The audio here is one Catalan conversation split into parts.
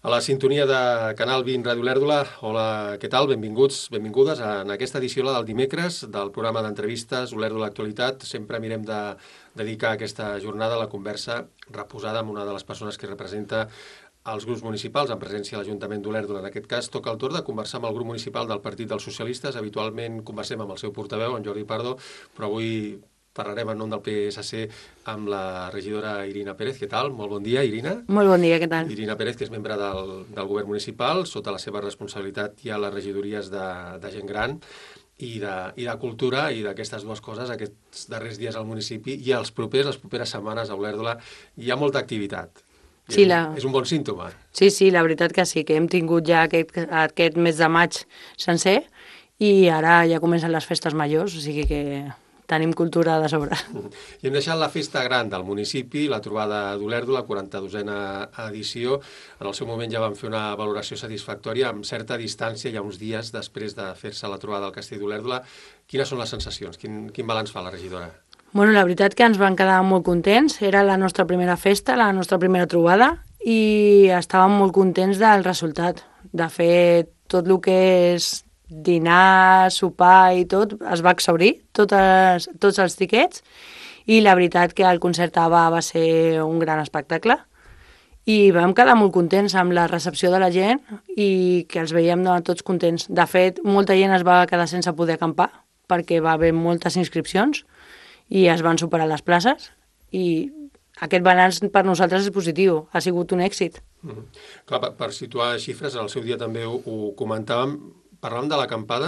A la sintonia de Canal 20 Ràdio Olèrdola, hola, què tal? Benvinguts, benvingudes en aquesta edició, la del dimecres, del programa d'entrevistes Olèrdola Actualitat. Sempre mirem de dedicar aquesta jornada a la conversa reposada amb una de les persones que representa els grups municipals, en presència a l'Ajuntament d'Olèrdola. En aquest cas, toca el torn de conversar amb el grup municipal del Partit dels Socialistes. Habitualment conversem amb el seu portaveu, en Jordi Pardo, però avui parlarem en nom del PSC amb la regidora Irina Pérez. Què tal? Molt bon dia, Irina. Molt bon dia, què tal? Irina Pérez, que és membre del govern municipal, sota la seva responsabilitat hi ha les regidories de gent gran i de cultura, i d'aquestes dues coses, aquests darrers dies al municipi i les properes setmanes a Olèrdola hi ha molta activitat. Sí, És un bon símptoma. Sí, la veritat que sí, que hem tingut ja aquest mes de maig sencer i ara ja comencen les festes majors, o sigui que tenim cultura de sobre. I hem deixat la festa gran del municipi, la trobada d'Olèrdola, 42a edició. En el seu moment ja vam fer una valoració satisfactòria amb certa distància, ja uns dies després de fer-se la trobada al Castell d'Olèrdola. Quines són les sensacions? Quin balanç fa la regidora? Bueno, la veritat que ens van quedar molt contents. Era la nostra primera festa, la nostra primera trobada, i estàvem molt contents del resultat. De fet, tot el que és dinar, sopar i tot, es va exhaurir, tots els tiquets, i la veritat que el concert ABBA va ser un gran espectacle i vam quedar molt contents amb la recepció de la gent i que els veiem tots contents. De fet, molta gent es va quedar sense poder acampar perquè va haver moltes inscripcions i es van superar les places i aquest balanç per nosaltres és positiu, ha sigut un èxit. Clar, per situar xifres, en el seu dia també ho comentàvem, parlàvem de l'acampada,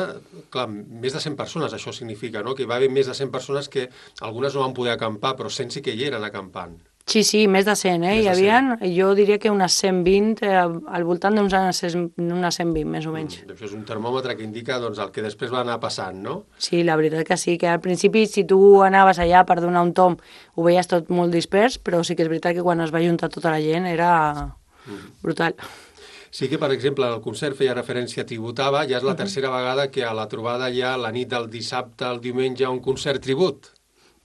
clar, més de 100 persones, això significa, no? Que hi va haver més de 100 persones que algunes no van poder acampar, però 100 sí que hi eren acampant. Sí, més de 100, Hi havia, jo diria que unes 120, al voltant d'unes 120, més o menys. Això és un termòmetre que indica doncs, el que després va anar passant, no? Sí, la veritat que sí, que al principi si tu anaves allà per donar un tomb ho veies tot molt dispers, però sí que és veritat que quan es va juntar tota la gent era brutal. Sí que, per exemple, el concert feia referència a Tributava, ja és la tercera vegada que a la trobada hi ha la nit del dissabte al diumenge un concert tribut.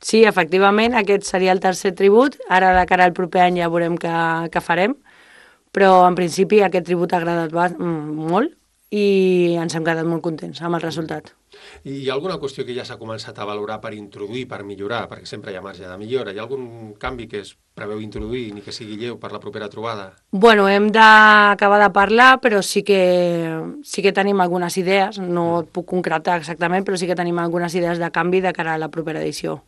Sí, efectivament, aquest seria el tercer tribut, ara de cara al proper any ja veurem què farem, però en principi aquest tribut ha agradat molt i ens hem quedat molt contents amb el resultat. I hi ha alguna qüestió que ja s'ha començat a valorar per introduir, per millorar, perquè sempre hi ha marge de millora? Hi ha algun canvi que es preveu introduir, ni que sigui lleu per la propera trobada? Bueno, hem d'acabar de parlar, però sí que tenim algunes idees, no et puc concretar exactament, però sí que tenim algunes idees de canvi de cara a la propera edició.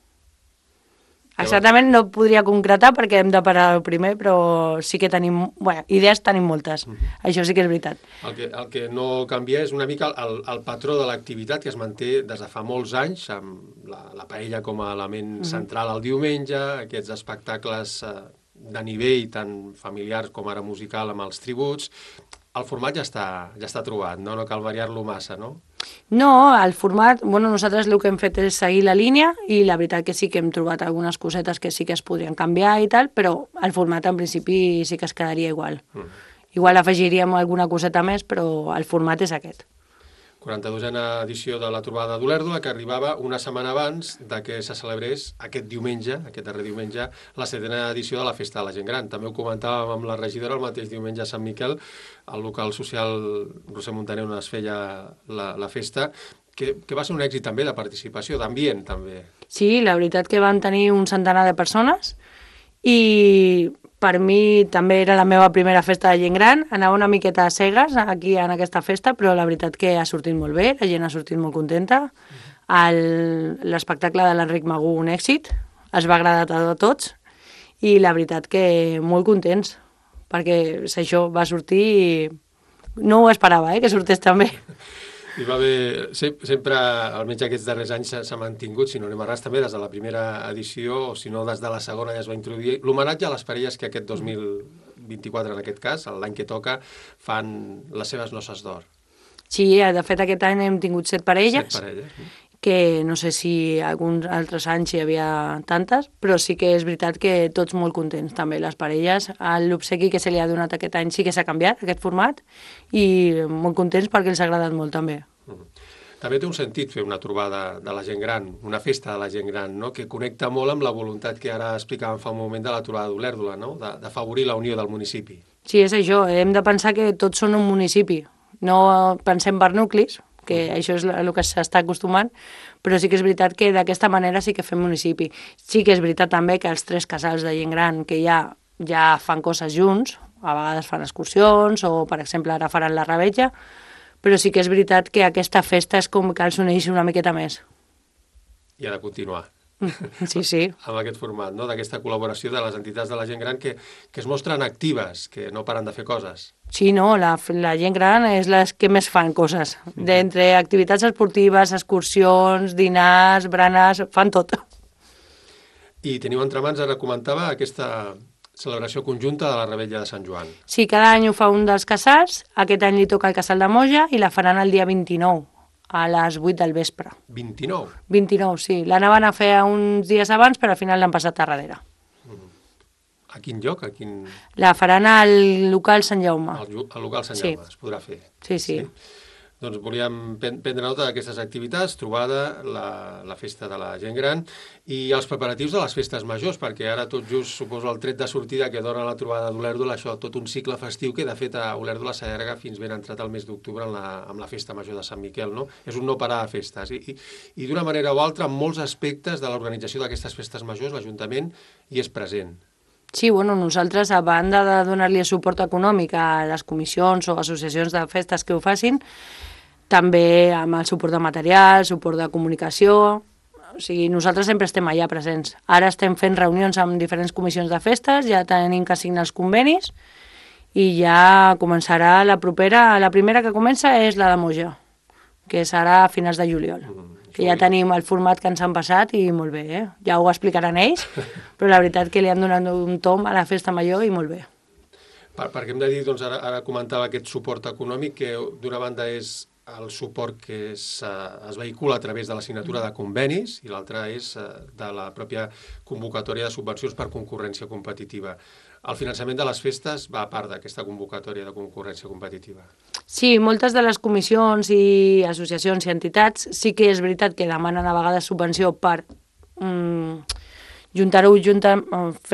Exactament no podria concretar perquè hem de parar el primer, però sí que tenim, idees tenim moltes, això sí que és veritat. El que no canvia és una mica el patró de l'activitat que es manté des de fa molts anys, amb la paella com a element central al diumenge, aquests espectacles de nivell tant familiars com ara musical amb els tributs. El format ja està trobat, no cal variar-lo massa, no? No, el format, nosaltres el que hem fet és seguir la línia i la veritat que sí que hem trobat algunes cosetes que sí que es podrien canviar i tal, però el format en principi sí que es quedaria igual. Igual afegiríem alguna coseta més, però el format és aquest. 42a edició de la trobada d'Olèrdola, que arribava una setmana abans de que se celebrés aquest diumenge, aquest darrer diumenge, la 7a edició de la Festa de la Gent Gran. També ho comentàvem amb la regidora el mateix diumenge a Sant Miquel, al local social Roser Montaner on es feia la festa, que va ser un èxit també de participació, d'ambient també. Sí, la veritat que van tenir un centenar de persones i per mi també era la meva primera festa de gent gran, anava una miqueta a cegues aquí en aquesta festa, però la veritat que ha sortit molt bé, la gent ha sortit molt contenta, l'espectacle de l'Enric Magú un èxit, es va agradar a tots i la veritat que molt contents, perquè això va sortir i no ho esperava, que sortés també. Hi va haver, sempre, almenys aquests darrers anys, s'ha mantingut, si no anem a ras, també des de la primera edició, o si no des de la segona ja es va introduir, l'homenatge a les parelles que aquest 2024, en aquest cas, l'any que toca, fan les seves noces d'or. Sí, de fet aquest any hem tingut 7 parelles. 7 parelles. Que no sé si alguns altres anys hi havia tantes, però sí que és veritat que tots molt contents també, les parelles. L'obsequi que se li ha donat aquest any sí que s'ha canviat, aquest format, i molt contents perquè els ha agradat molt també. També té un sentit fer una trobada de la gent gran, una festa de la gent gran, no? Que connecta molt amb la voluntat que ara explicàvem fa un moment de la trobada d'Olèrdola, no? D'afavorir la unió del municipi. Sí, és això. Hem de pensar que tots són un municipi. No pensem per nuclis, que això és el que s'està acostumant, però sí que és veritat que d'aquesta manera sí que fem municipi. Sí que és veritat també que els 3 casals de gent gran que ja fan coses junts, a vegades fan excursions o, per exemple, ara faran la revetlla, però sí que és veritat que aquesta festa és com que els uneix una miqueta més. I ha de continuar. Sí. Amb aquest format, no? D'aquesta col·laboració de les entitats de la gent gran que es mostren actives, que no paren de fer coses. Sí, no, la gent gran és les que més fan coses. D'entre activitats esportives, excursions, dinars, berenars, fan tot. I teniu entre mans, ara comentava, aquesta celebració conjunta de la Revetlla de Sant Joan. Sí, cada any ho fa un dels casals. Aquest any li toca el casal de Moja i la faran el dia 29, a les 8 del vespre. 29? 29, sí. L'anaven a fer uns dies abans, però al final l'han passat a darrere. A quin lloc? La faran al local Sant Jaume. Al local Sant Jaume, es podrà fer. Sí. Doncs volíem prendre nota d'aquestes activitats, trobada, la festa de la gent gran i els preparatius de les festes majors, perquè ara tot just suposo el tret de sortida que dona la trobada d'Olèrdola, això, tot un cicle festiu que de fet a Olèrdola s'allarga fins ben entrat el mes d'octubre amb la festa major de Sant Miquel, no? És un no parar de festes i d'una manera o altra en molts aspectes de l'organització d'aquestes festes majors l'Ajuntament hi és present. Sí, bueno, nosaltres, a banda de donar-li suport econòmic a les comissions o associacions de festes que ho facin, també amb el suport de material, suport de comunicació, o sigui, nosaltres sempre estem allà presents. Ara estem fent reunions amb diferents comissions de festes, ja tenim que signar els convenis i ja començarà la primera que comença és la de Moja, que serà a finals de juliol. Que ja tenim el format que ens han passat i molt bé, ja ho explicaran ells, però la veritat que li han donat un tom a la festa major i molt bé. Perquè hem de dir, doncs, ara comentava aquest suport econòmic, que d'una banda és el suport que es vehicula a través de la signatura de convenis i l'altra és de la pròpia convocatòria de subvencions per concurrència competitiva. El finançament de les festes va a part d'aquesta convocatòria de concurrència competitiva. Sí, moltes de les comissions i associacions i entitats sí que és veritat que demanen a vegades subvenció per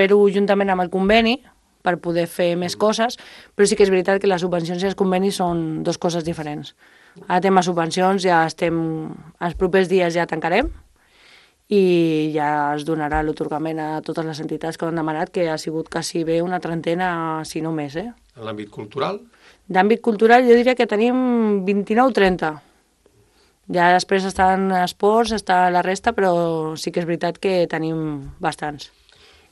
fer-ho juntament amb el conveni, per poder fer més coses, però sí que és veritat que les subvencions i els convenis són dues coses diferents. Ara tema subvencions, els propers dies ja tancarem i ja es donarà l'otorgament a totes les entitats que ho han demanat, que ha sigut quasi bé una trentena, si no més. En l'àmbit cultural? D'àmbit cultural jo diria que tenim 29 o 30. Ja després estan esports, està la resta, però sí que és veritat que tenim bastants.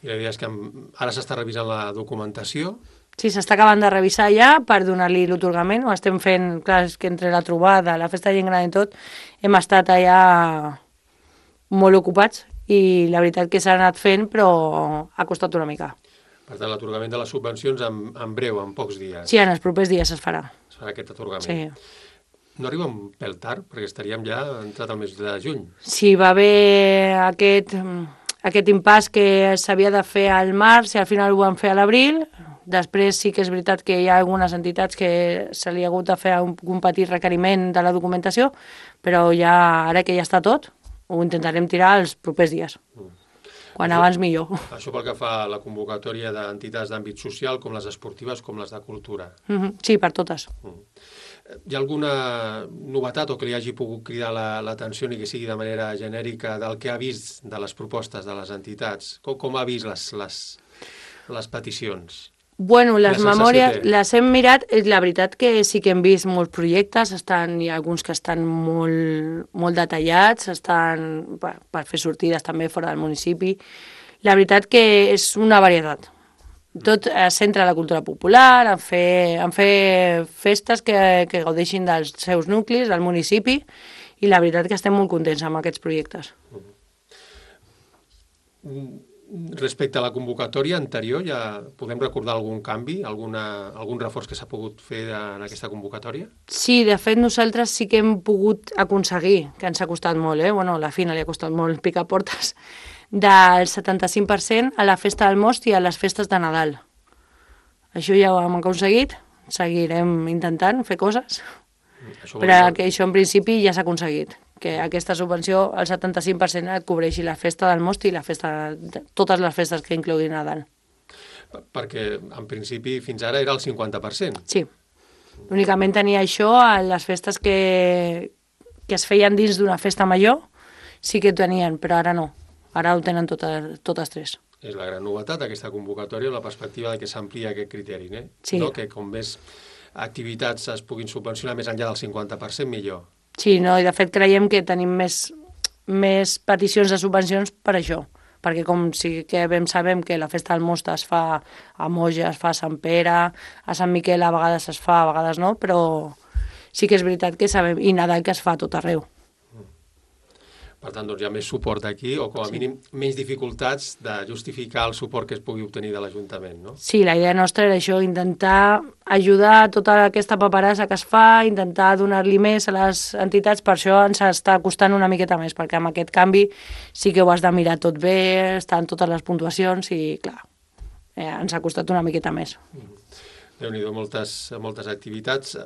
I la idea és que ara s'està revisant la documentació. Sí, s'està acabant de revisar ja per donar-li l'otorgament. Ho estem fent, clar, és que entre la trobada, la festa de gent gran i tot, hem estat allà molt ocupats i la veritat que s'ha anat fent, però ha costat una mica. Per tant, l'atorgament de les subvencions en breu, en pocs dies. Sí, en els propers dies es farà. Es farà aquest atorgament. Sí. No arriba un pèl tard, perquè estaríem ja entrat al mes de juny. Sí, va haver aquest impàs que s'havia de fer al març i al final ho van fer a l'abril. Després sí que és veritat que hi ha algunes entitats que se li ha hagut de fer un petit requeriment de la documentació, però ja ara que ja està tot, ho intentarem tirar els propers dies. Quan abans millor. Això pel que fa a la convocatòria d'entitats d'àmbit social, com les esportives, com les de cultura. Sí, per totes. Hi ha alguna novetat o que li hagi pogut cridar l'atenció ni que sigui de manera genèrica del que ha vist de les propostes de les entitats? Com ha vist les peticions? Bueno, les memòries les hem mirat, la veritat que sí que hem vist molts projectes, hi ha alguns que estan molt detallats, estan per fer sortides també fora del municipi. La veritat que és una varietat. Tot es centra en la cultura popular, en fer festes que gaudeixin dels seus nuclis, del municipi, i la veritat que estem molt contents amb aquests projectes. Respecte a la convocatòria anterior, ja podem recordar algun canvi, algun reforç que s'ha pogut fer en aquesta convocatòria? Sí, de fet nosaltres sí que hem pogut aconseguir, que ens ha costat molt, bueno, a la Fina li ha costat molt picar portes, del 75% a la festa del Most i a les festes de Nadal. Això ja ho hem aconseguit, seguirem intentant fer coses, però que això en principi ja s'ha aconseguit, que aquesta subvenció, el 75% et cobreixi la festa del Most i totes les festes que incloguin Nadal. Perquè, en principi, fins ara era el 50%. Sí. Únicament tenia això a les festes que es feien dins d'una festa major, sí que ho tenien, però ara no. Ara ho tenen totes tres. És la gran novetat d'aquesta convocatòria, la perspectiva de que s'amplia aquest criteri, Sí. No? Que com més activitats es puguin subvencionar més enllà del 50%, millor. Sí, no, i de fet creiem que tenim més peticions de subvencions per això, perquè com sí que sabem que la festa del Most es fa a Moja, es fa a Sant Pere, a Sant Miquel a vegades es fa, a vegades no, però sí que és veritat que sabem, i Nadal que es fa a tot arreu. Per tant, doncs hi ha més suport aquí, o com a mínim menys dificultats de justificar el suport que es pugui obtenir de l'Ajuntament, no? Sí, la idea nostra era això, intentar ajudar tota aquesta paperassa que es fa, intentar donar-li més a les entitats, per això ens està costant una miqueta més, perquè amb aquest canvi sí que ho has de mirar tot bé, estan totes les puntuacions i, clar, ens ha costat una miqueta més. Déu-n'hi-do, moltes activitats.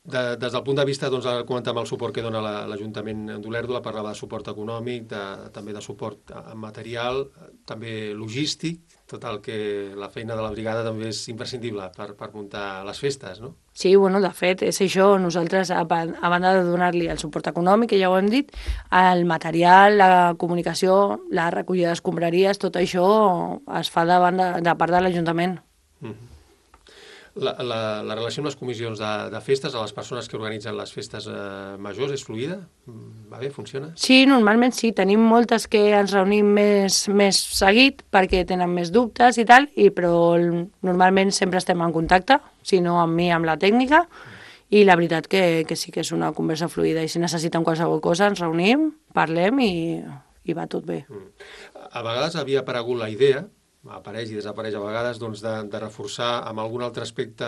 Des del punt de vista, doncs, ara comentàvem el suport que dona l'Ajuntament d'Olèrdola, parlava de suport econòmic, també de suport material, també logístic, tot el que la feina de la brigada també és imprescindible per muntar les festes, no? Sí, bueno, de fet, és això, nosaltres, a banda de donar-li el suport econòmic, que ja ho hem dit, el material, la comunicació, la recollida d'escombraries, tot això es fa de part de l'Ajuntament. La relació amb les comissions de festes, a les persones que organitzen les festes majors, és fluida? Va bé, funciona? Sí, normalment sí. Tenim moltes que ens reunim més seguit perquè tenen més dubtes i tal, però normalment sempre estem en contacte, si no amb mi, amb la tècnica, i la veritat que sí que és una conversa fluida i si necessiten qualsevol cosa ens reunim, parlem i va tot bé. A vegades havia aparegut la idea, apareix i desapareix a vegades, doncs, de reforçar amb algun altre aspecte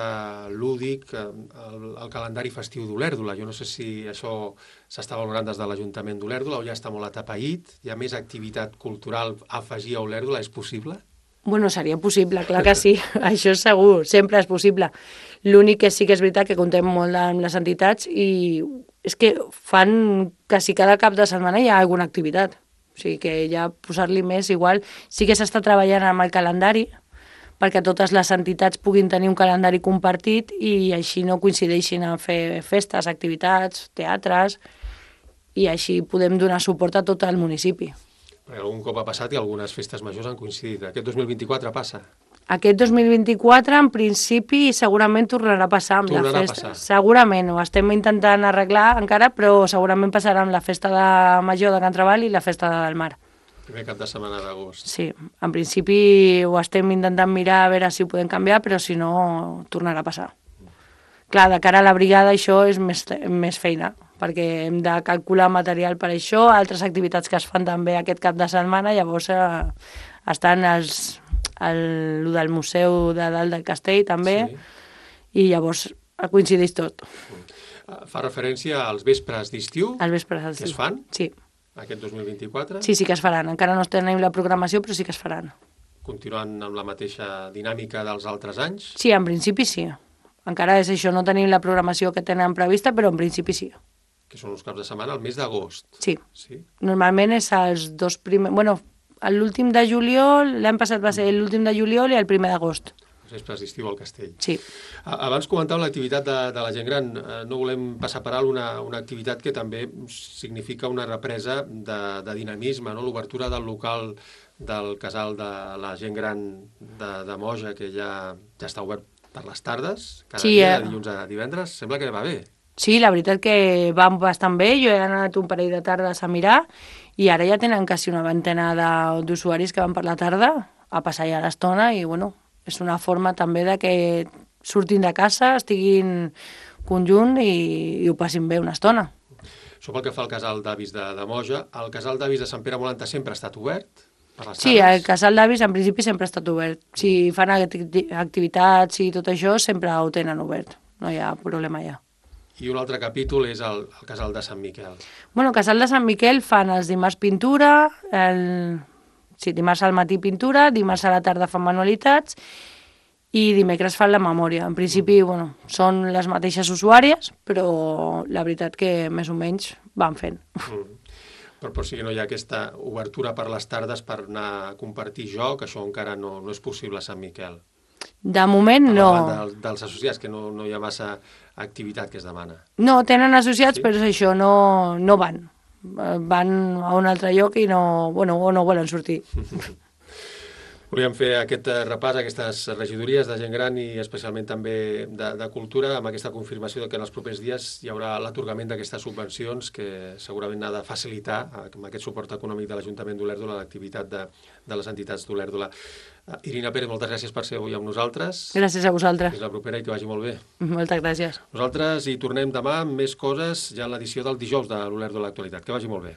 lúdic el calendari festiu d'Olèrdola. Jo no sé si això s'està valorant des de l'Ajuntament d'Olèrdola o ja està molt atapeït. Hi ha més activitat cultural a afegir a Olèrdola? És possible? Bueno, seria possible, clar que sí. Això és segur, sempre és possible. L'únic que sí que és veritat que contem molt amb les entitats i és que fan quasi cada cap de setmana hi ha alguna activitat. O sigui que ja posar-li més, igual sí que s'està treballant amb el calendari perquè totes les entitats puguin tenir un calendari compartit i així no coincideixin a fer festes, activitats, teatres, i així podem donar suport a tot el municipi. Perquè algun cop ha passat i algunes festes majors han coincidit. Aquest 2024 passa? Aquest 2024, en principi, segurament tornarà a passar amb la festa. Segurament, ho estem intentant arreglar encara, però segurament passarà amb la festa de Major de Can Trabal i la festa del Mar. Primer cap de setmana d'agost. Sí, en principi ho estem intentant mirar a veure si ho podem canviar, però si no, tornarà a passar. Clar, de cara a la brigada això és més feina, perquè hem de calcular material per això, altres activitats que es fan també aquest cap de setmana, llavors estan el del museu de dalt del castell també, sí. I llavors coincideix tot. Fa referència als vespres d'estiu que es fan? Sí. Aquest 2024? Sí que es faran. Encara no tenim la programació, però sí que es faran. Continuant amb la mateixa dinàmica dels altres anys? Sí, en principi sí. Encara és això, no tenim la programació que tenen prevista, però en principi sí. Que són els caps de setmana, el mes d'agost? Sí. Normalment és els dos primers... Bueno, l'últim de juliol, l'any passat va ser l'últim de juliol i el primer d'agost. Els vespres d'estiu al castell. Sí. Abans comentàvem l'activitat de la gent gran. No volem passar per alt una activitat que també significa una represa de dinamisme, no? L'obertura del local del casal de la gent gran de Moja, que ja està obert per les tardes, cada dia, de dilluns a divendres. Sembla que va bé. Sí, la veritat que va bastant bé. Jo he anat un parell de tardes a mirar i ara ja tenen quasi una vintena d'usuaris que van per la tarda a passar ja l'estona i, bueno, és una forma també de que surtin de casa, estiguin conjunt i ho passin bé una estona. Això pel que fa al casal d'avis de Moja. El casal d'avis de Sant Pere Molanta sempre ha estat obert per les tardes? Sí, el casal d'avis en principi sempre ha estat obert. Si fan activitats i tot això, sempre ho tenen obert. No hi ha problema ja. I un altre capítol és el casal de Sant Miquel. Bueno, el casal de Sant Miquel fan els dimarts pintura, dimarts al matí pintura, dimarts a la tarda fan manualitats i dimecres fan la memòria. En principi, bueno, són les mateixes usuàries, però la veritat que més o menys van fent. Però sí que no hi ha aquesta obertura per les tardes per anar a compartir joc, això encara no és possible a Sant Miquel. De moment Per no. davant dels associats, que no hi ha massa activitat que es demana. No, tenen associats, Sí? però és això, no van. Van a un altre lloc i no volen sortir. Volíem fer aquest repàs, aquestes regidories de gent gran i especialment també de cultura, amb aquesta confirmació que en els propers dies hi haurà l'atorgament d'aquestes subvencions que segurament ha de facilitar, amb aquest suport econòmic de l'Ajuntament d'Olèrdola, l'activitat de les entitats d'Olèrdola. Irina Pérez, moltes gràcies per ser avui amb nosaltres. Gràcies a vosaltres. Fins la propera i que vagi molt bé. Moltes gràcies. Nosaltres hi tornem demà amb més coses ja en l'edició del dijous de l'Olèrdola Actualitat. Que vagi molt bé.